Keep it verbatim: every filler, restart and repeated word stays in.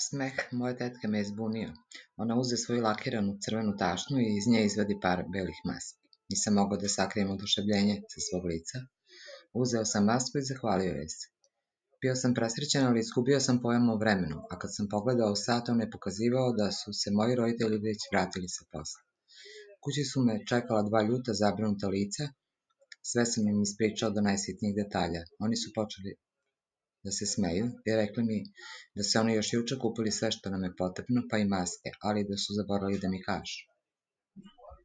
Smeh moje tetke me je zbunio. Ona uze svoju lakiranu crvenu tašnu i iz nje izvadi par belih maski. Nisam mogao da sakrijem oduševljenje sa svog lica. Uzeo sam masku i zahvalio joj se. Bio sam presrećen, ali izgubio sam pojam o vremenu, a kad sam pogledao sat, on je pokazivao da su se moji roditelji već vratili sa posla. Kući su me čekala dva ljuta, zabrinuta lica. Sve sam im ispričao do najsitnijih detalja. Oni su počeli da se smeju i rekli mi da su oni još juče kupili sve što nam je potrebno, pa i maske, ali da su zaboravili da mi kažu.